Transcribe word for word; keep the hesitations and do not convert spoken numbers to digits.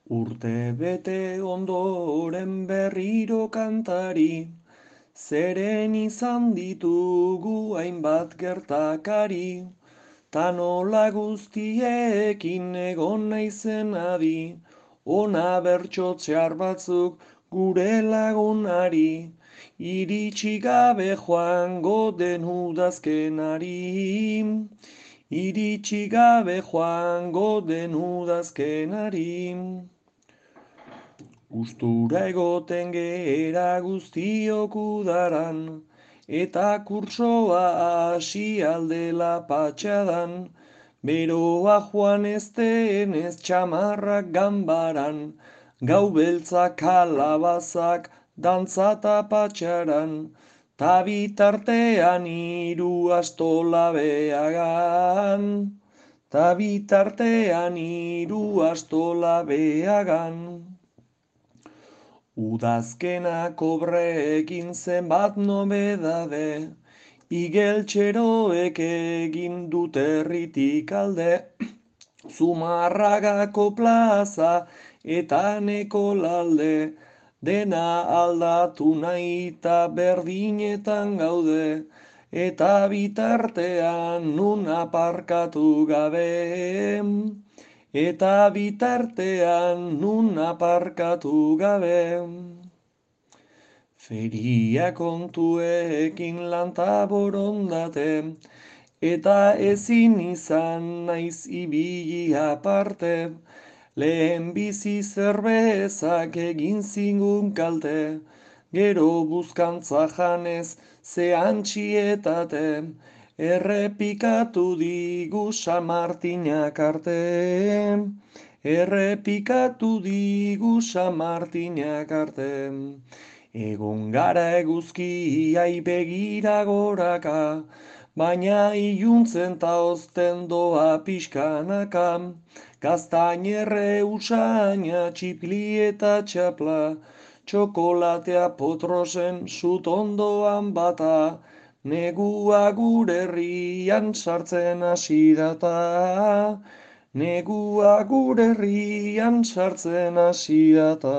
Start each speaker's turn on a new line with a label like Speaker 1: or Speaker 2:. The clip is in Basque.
Speaker 1: Urte bete ondoren berriro kantari, zeren izan ditugu hainbat gertakari, ta nola guztiekin egon naizen adi, ona bertso txar batzuk gure lagunari, iritsi gabe joango den udazkenari, iritsi gabe joango den udazkenari. Gustura egoten gera guztiok udaran, eta kurtsoa hasi aldela patxadan, beroa joan ez denez txamarrak ganbaran, gau beltzak kalabazak dantzata patxaran, ta bitartean hiru astola behagan, ta bitartean hiru astola behagan. Udazkena kobreekin zenbat nobedade, igeltxeroek egin dute herritik alde, Zumarragako plaza eta Nekolalde, dena aldatu nahi eta berdinetan gaude, eta bitartean nun aparkatu gabe, eta bitartean nun aparkatu gabe. Feria kontuekin lanta borondate, eta ezin izan naiz ibili aparte, lehen bizi zerbezak egin zingun kalte, gero buzkantza janez ze antxietate, errepikatu digu San Martinak arte, errepikatu digu San Martinak arte. Egon gara eguzkiai begira goraka, baina iluntzen ta ozten doa pixkanaka, gaztainerre usaina txipli eta txapla, txokolatea potrosen sut ondoan bata, negua gure herrian sartzen hasi data, negua gure herrian sartzen hasi data.